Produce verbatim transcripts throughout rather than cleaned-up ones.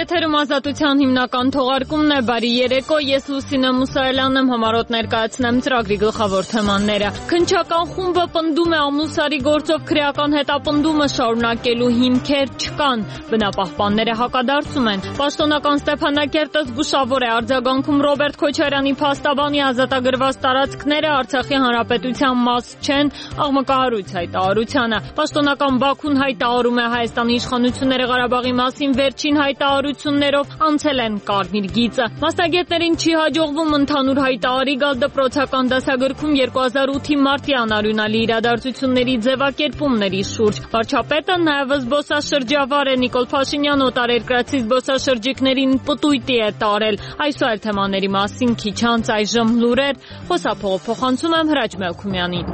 Եթերում Ազատության հիմնական թողարկումն է, բարի երեկո, ես Լուսինե Մուսայելյանն եմ, համառոտ ներկայացնեմ ծրագրի գլխավոր թեմաները։ Քննչական խումբը պնդում է ամուսարի գործով քրեական հետապնդումը շարունակելու հիմքեր չկան, բնապահպանները հակադարձում են։ Պաշտոնական Ստեփանակերտը զգուշավոր է արձագանքում Ռոբերտ Քոչարյանի փաստաբանի ազատագրված տարածքները Արցախի հանրապետության մաս չեն, աղմկահարույց հայտարարությանը։ Պաշտոնական Բաքուն հայտարարում է Հայաստանի իշխանությունները Ղարաբաղի մասին վերջին հայտարարություններով անցել են կարմիր գիծը։ Մասնագետներին չի հաջողվում ընդհանուր հայտարարի գալ դպրոցական դասագրքում երկու հազար ութի մարտի անարյունալի իրադարձությունների ձևակերպումների շուրջ։ Վարչապետը նաև զբոսաշրջավար է Նիկոլ Փաշինյանը օտարերկրացի զբոսաշրջիկներին պտույտի է տարել։ Այս ու այլ թեմաների մասին քիչ անց այժմ լուրեր, խոսափողը փոխանցում եմ Հրաչ Մելքումյանին։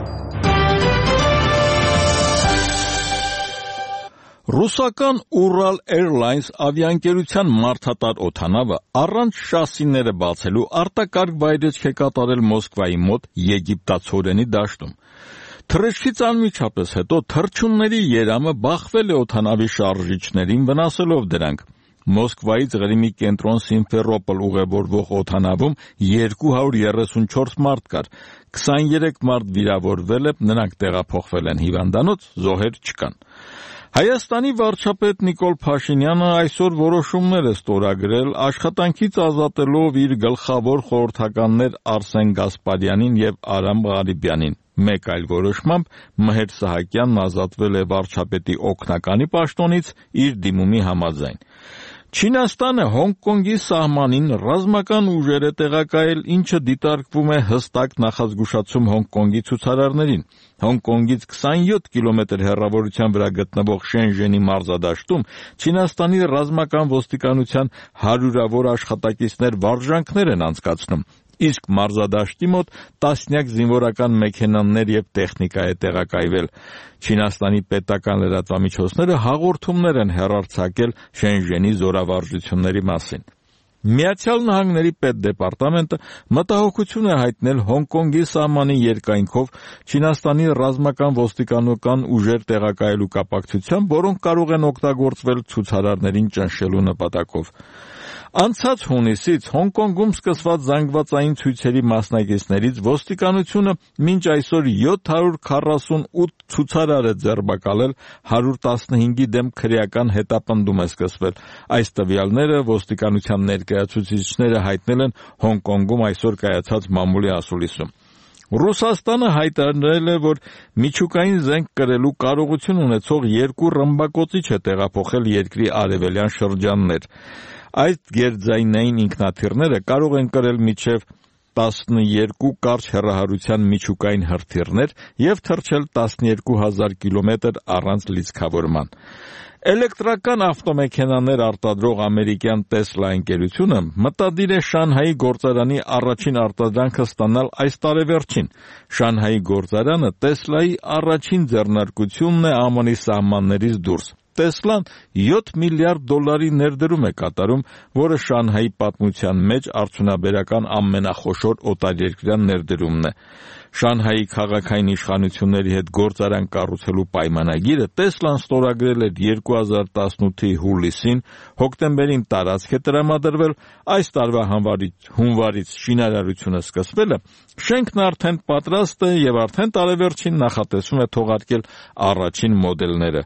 Ռուսական Ural Airlines ավիաընկերության մարդատար օդանավը առանց շասիները բացելու արտակարգ վայրէջք է կատարել Մոսկվայի մոտ Եգիպտացորենի դաշտում։ Թռիչքից անմիջապես հետո թռչունների երամը բախվել է օդանավի շարժիչներին, վնասելով դրանք։ Մոսկվայից Ղրիմի կենտրոն Սիմֆերոպոլ ուղևորվող օդանավում երկու հարյուր երեսունչորս մարդ կար, քսաներեք մարդ վիրավորվել է, նրանք տեղափոխվել են հիվանդանոց, զոհեր չկան։ Հայաստանի վարչապետ Նիկոլ Փաշինյանը այսօր որոշումներ է ստորագրել աշխատանքից ազատելով իր գլխավոր խորհրդականներ Արսեն Գասպարյանին եւ Արամ Ղարիբյանին։ Մեկ այլ որոշմամբ Մհեր Սահակյանն ազատվել է վարչապետի օգնականի պաշտոնից իր դիմումի համաձայն։ Չինաստանը Հոնկոնգի սահմանին ռազմական ուժեր է տեղակայել, ինչը դիտարկվում է հստակ նախազգուշացում Հոնկոնգի ցուցարարներին։ Հոնկոնգից քսանյոթ կիլոմետր հեռավորության վրա գտնվող Շենժենի մարզադաշտում Չինաստանի ռազմական ոստիկանության հարյուրավոր աշխատակիցներ վարժանքներ են անցկացնում, իսկ մարզադաշտի մոտ տասնյակ զինվորական մեքենաներ եւ տեխնիկա է տեղակայվել։ Չինաստանի պետական լրատվամիջոցները հաղորդումներ են հեռարձակել Շենժենի զորավարժությունների մասին։ Միացյալ Նահանգների պետդեպարտամենտը մտահոգություն է հայտնել Հոնկոնգի սահմանի երկայնքով Չինաստանի ռազմական ոստիկանական ուժեր տեղակայելու կապակցությամբ, որոնք կարող են օգտագործվել ցուցարարներին ճնշելու նպատակով։ Անցած հունիսից Հոնկոնգում սկսված զանգվածային ցույցերի մասնակիցներից ոստիկանությունը մինչ այսօր յոթ հարյուր քառասունութ ցուցարար է ձերբակալել, հարյուր տասնհինգի դեմ քրեական հետապնդում է սկսվել։ Այս տվյալները ոստիկանության ներկայացուցիչները հայտնել են Հոնկոնգում այսօր կայացած մամուլի ասուլիսում։ Ռուսաստանը հայտարարել է, որ միջուկային զենք կրելու կարողություն ունեցող երկու ռմբակոծիչ է տեղափոխել երկրի արևելյան շրջաններ։ Այդ գերձայնային ինքնաթիռները կարող են կրել մինչև տասներկու կարճ հեռահարության միջուկային հրթիռներ և թռչել տասներկու հազար կիլոմետր առանց լիցքավորման։ Էլեկտրական ավտոմեքենաներ արտադրող ամերիկյան Տեսլա ընկերությունը մտադիր է Շանհայի գործարանի առաջին արտադրանքը ստանալ այս տարեվերջին։ Շանհայի գործարանը Տեսլայի առաջին ձեռնարկությունն է ԱՄՆ-ի սահմաններից դուրս։ Տեսլան յոթ միլիարդ դոլարի ներդրում է կատարում, որը Շանհայի պատմության մեջ արդյունաբերական ամենախոշոր օտարերկրյա ներդրումն է։ Շանհայի քաղաքային իշխանությունների հետ գործարան կառուցելու պայմանագիրը Տեսլան ստորագրել էր երկու հազար տասնութի հուլիսին, հոկտեմբերին տարածք է տրամադրվել, այս տարվա հունվարից շինարարությունը սկսվել է, շենքն արդեն պատրաստ է եւ արդեն տարեվերջին նախատեսվում է թողարկել առաջին մոդելները։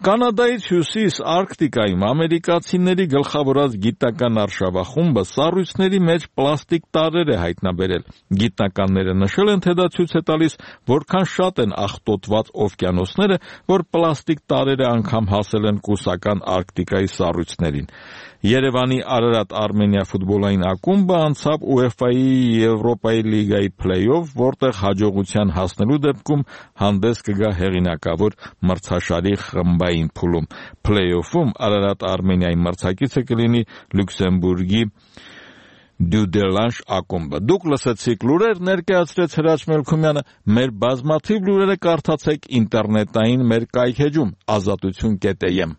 Կանադայից հյուսիս Արկտիկայում ամերիկացիների գլխավորած գիտական արշավախումբը սառույցների մեջ պլաստիկ տարրեր է հայտնաբերել։ Գիտնականները նշել են, թե դա ցույց է տալիս, որքան շատ են աղտոտված օվկիանոսները, որ պլաստիկ տարրերը անգամ հասել են կուսական Արկտիկայի սառույցներին։ Երևանի Արարատ Արմենիա ֆուտբոլային ակումբը անցավ ՈՒԵՖԱ-ի Եվրոպայի լիգայի փլեյօֆ, որտեղ հաջողության հասնելու դեպքում հանդես կգա հեղինակավոր մրցաշարի խմբային փուլում։ Փլեյօֆում Արարատ Արմենիայի մրցակիցը կլինի Լյուքսեմբուրգի Դյուդելանշ ակումբը։ Դուք լսեցիք լուրեր, ներկայացրեց Հրաչ Մելքումյանը։ Մեր բազմաթիվ լուրերը կարդացեք ինտերնետային մեր կայքէջում ազատություն կետ էյ էմ։